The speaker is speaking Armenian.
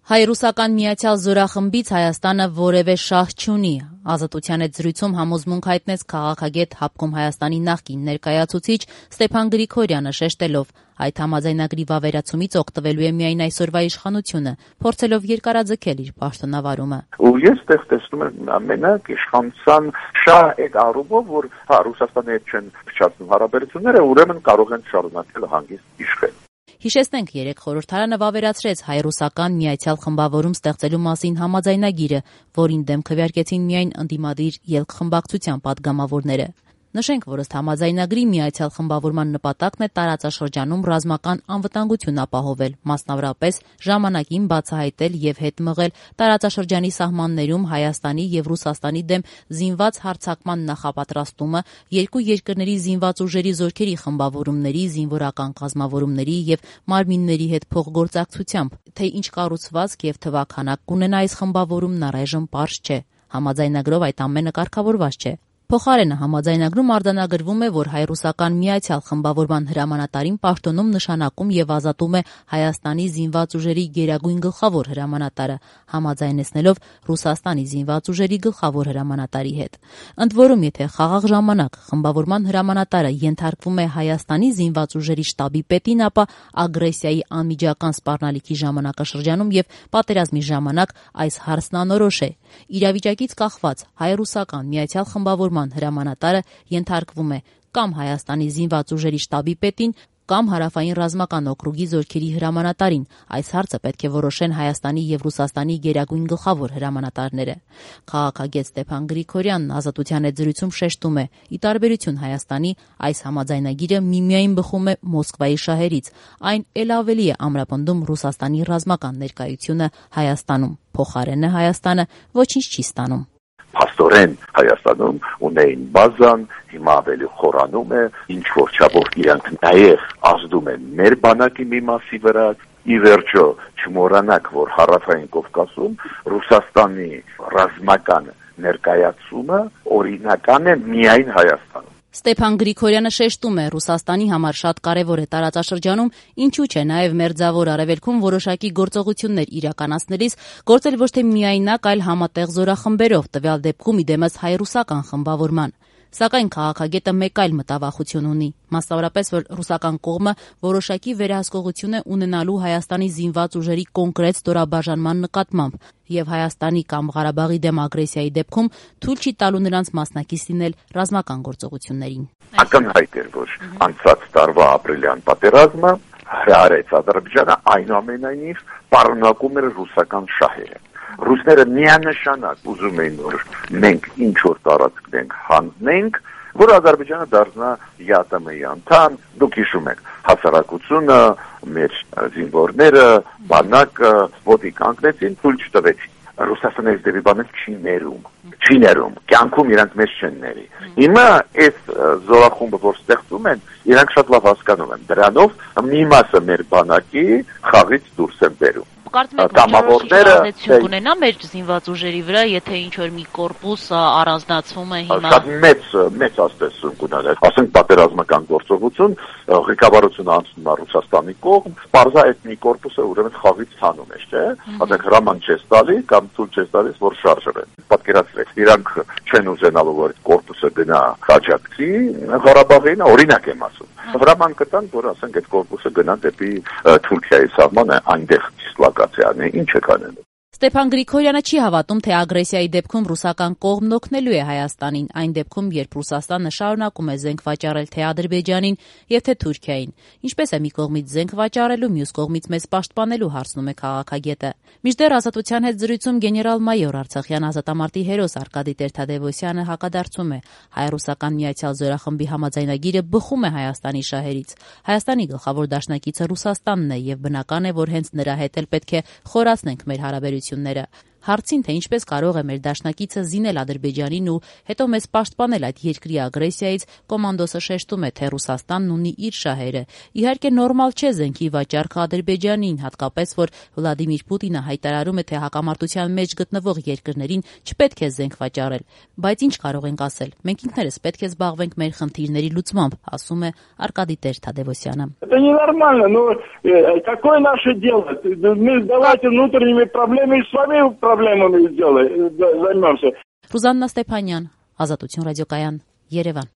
Հայ-ռուսական միացյալ զորախմբից Հայաստանը որևէ շահ չունի։ Ազատության հետ զրույցում համոզմունք հայտնեց քաղաքագետ Հապկում Հայաստանի նախկին ներկայացուցիչ Ստեփան Գրիգորյանը, շեշտելով, այդ համաձայնագրի վավերացումից օգտվելու է միայն այսօրվա իշխանությունը, փորձելով երկարաձգել իր պաշտոնավարումը։ Ու ես այդտեղ տեսնում եմ ամենակ իշխանության շահ այդ առումով, որ Ռուսաստանի հետ չեն փչացնում հարաբերությունները, ուրեմն կարող են շարունակել հանգիստ իշխել։ Հիշեցնենք, երեկ խորհրդարանը վավերացրեց հայ-ռուսական միացյալ խմբավորում ստեղծելու մասին համաձայնագիրը, որին դեմ քվեարկեցին միայն ընդդիմադիր ելք-խմբակցության падգամավորները։ Նշենք, որ ըստ համաձայնագրի միացյալ խմբավորման նպատակն է տարածաշրջանում ռազմական անվտանգություն ապահովել, մասնավորապես ժամանակին բացահայտել եւ հետ մղել տարածաշրջանի սահմաններում Հայաստանի եւ Ռուսաստանի դեմ զինված հարձակման նախապատրաստումը, երկու երկրների զինված ուժերի զորքերի խմբավորումների, զինվորական կազմավորումների եւ մարմինների հետ փոխգործակցությամբ, թե ինչ կառուցվածք եւ թվաքանակ կունենա այս խմբավորումն առայժմ պարզ չէ։ Համաձայնագրով այդ ամենը կարգավորված չէ։ Փոխարենը համաձայնագրում արձանագրվում է, որ հայ-ռուսական միացյալ խմբավորման հրամանատարին պաշտոնում նշանակում եւ ազատում է Հայաստանի զինված ուժերի գերագույն գլխավոր հրամանատարը, համաձայնեցնելով Ռուսաստանի զինված ուժերի գլխավոր հրամանատարի հետ։ Ընդ որում, եթե խաղաղ ժամանակ խմբավորման հրամանատարը ենթարկվում է Հայաստանի զինված ուժերի շտաբի պետին, ապա ագրեսիայի անմիջական սպառնալիքի ժամանակաշրջանում եւ պատերազմի ժամանակ այս հարցն անորոշ է։ Իրավիճակից կախված հայ-ռուսական միացյալ խմբավորման հրամանատարը ենթարկվում է կամ Հայաստանի զինված ուժերի շտաբի պետին, կամ Հարավային ռազմական օկրուգի զորքերի հրամանատարին։ Այս հարցը պետք է որոշեն Հայաստանի եւ Ռուսաստանի գերագույն գլխավոր հրամանատարները։ Քաղաքագետ Ստեփան Գրիգորյանն Ազատության հետ զրույցում շեշտում է, ի տարբերություն Հայաստանի, այս համաձայնագիրը միմիայն բխում է Մոսկվայի շահերից, այն էլ ավելի է ամրապնդում Ռուսաստանի ռազմական ներկայությունը Հայաստանում։ Փոխարենը Հայաստանը ոչինչ չի ստանում։ Փաստորեն Հայաստանում ունեին բազան, հիմա ավելի խորանում է, ինչ որ չափով իրանք նաև ազդում են մեր բանակի մի մասի վրա։ Ի վերջո չմոռանաք, որ Հարավային Կովկասում Ռուսաստանի ռազմական ներկայացումը օրինական է միայն Հայաստանում։ Ստեփան Գրիգորյանը շեշտում է, Ռուսաստանի համար շատ կարևոր է տարածաշրջանում, ինչու՞ չէ նաև մերձավոր արևելքում որոշակի գործողություններ իրականացնելիս գործել ոչ թե միայնակ, այլ համատեղ զորախմբերով, տվյալ դեպքում իդեմս հայ-ռուսական խմբավորման։ Սակայն քաղաքագետը մեկ այլ մտավախություն ունի, մասնավորապես, որ ռուսական կողմը որոշակի վերահսկողություն է ունենալու Հայաստանի զինված ուժերի կոնկրետ ստորաբաժանման նկատմամբ եւ Հայաստանի կամ Ղարաբաղի դեմ ագրեսիայի դեպքում թույլ չի տալու նրանց մասնակից լինել ռազմական գործողություններին։ Ակնհայտ էր, որ անցած տարվա ապրիլյան պատերազմը հրահարեց Ադրբեջանը, այնուամենայնիվ պարունակում էր ռուսական շահերը։ Ռուսները միանշանակ ուզում էին, որ մենք ինչ որ տարածքենք հանձնենք, որ Ադրբեջանը դառնա ԵԱՏՄ-ի անդամ։ Դուք հիշում եք, հասարակությունը, մեր զինվորները, բանակը ոտի կանգնեցին, թույլ չտվեցին։ Ռուսաստանը այս դեպի բանը չի ներում, կյանքում իրանք մեզ չեն ների։ Հիմա այս զորախումբը, որ ստեղծում են, իրանք շատ լավ հասկանում են, դրանով մի մասը մեր բանակի խաղից դուրս են բերում։ Կարծում եք, որ կունենա մեր զինված ուժերի վրա, եթե ինչ որ մի կորպուս առանձնացվում է հիմա։ Շատ մեծ ազդեցություն կունենա։ Ասենք պատերազմական գործողություն, ղեկավարությունը անցնում է Ռուսաստանի կողմ, պարզա այդ մի կորպուսը ուրեմն խաղից ցանում է, չէ՞։ Ասենք հրաման չես տալի կամ թույլ չես տալիս, որ շարժվեն։ Պատկերացրեք, իրանք չեն ուզենալու, որ այդ կորպուսը գնա Ղաջակցի, Ղարաբաղին, օրինակ եմ ասում։ Հրաման կտան, որ ասենք այդ կորպուսը գնա դեպի Թուրքիայի սահմանը, այնտեղ դիսլոկացիան է, ինչ է կանելու։ Ստեփան Գրիգորյանը չի հավատում, թե ագրեսիայի դեպքում ռուսական կողմն օգնելու է Հայաստանին, այն դեպքում, երբ Ռուսաստանը շարունակում է զենք վաճառել թե Ադրբեջանին եւ թե Թուրքիային։ Ինչպես է մի կողմից զենք վաճառելու, մյուս կողմից մեզ պաշտպանելու, հարցնում է քաղաքագետը։ Մինչդեռ Ազատության հետ զրույցում գեներալ-մայոր Արցախյան ազատամարտի հերոս Արկադի Տեր-Թադևոսյանը հակադարձում է, հայ-ռուսական միացյալ զորախմբի համաձայնագիրը բխում է Հայաստանի շահերից։ Հայաստանի գլխավոր դաշնակիցը Ռուսաստանն է եւ բնական է, որ հենց նրա հետ էլ պետք է խորացնենք մեր հարաբերությունները։ Հարցին, թե ինչպես կարող է մեր դաշնակիցը զինել Ադրբեջանին ու հետո մեզ պաշտպանել այդ երկրի ագրեսիայից, կոմանդոսը շեշտում է, թե Ռուսաստանն ունի իր շահերը։ Իհարկե նորմալ չէ զենքի վաճառքը Ադրբեջանին, հատկապես որ Վլադիմիր Պուտինը հայտարարում է, թե հակամարտության մեջ գտնվող երկրներին չպետք է զենք վաճառել։ Բայց ինչ կարող ենք ասել։ Մենք ինքներս պետք է զբաղվենք մեր խնդիրների լուծմամբ, ասում է Արկադի Տեր-Թադևոսյանը։ Это ненормально, но какое наше дело? Мы давайте внутренними проблемами с вами проблемами займемся. Ռուզաննա Ստեփանյան, Ազատություն ռադիոկայան, Երևան։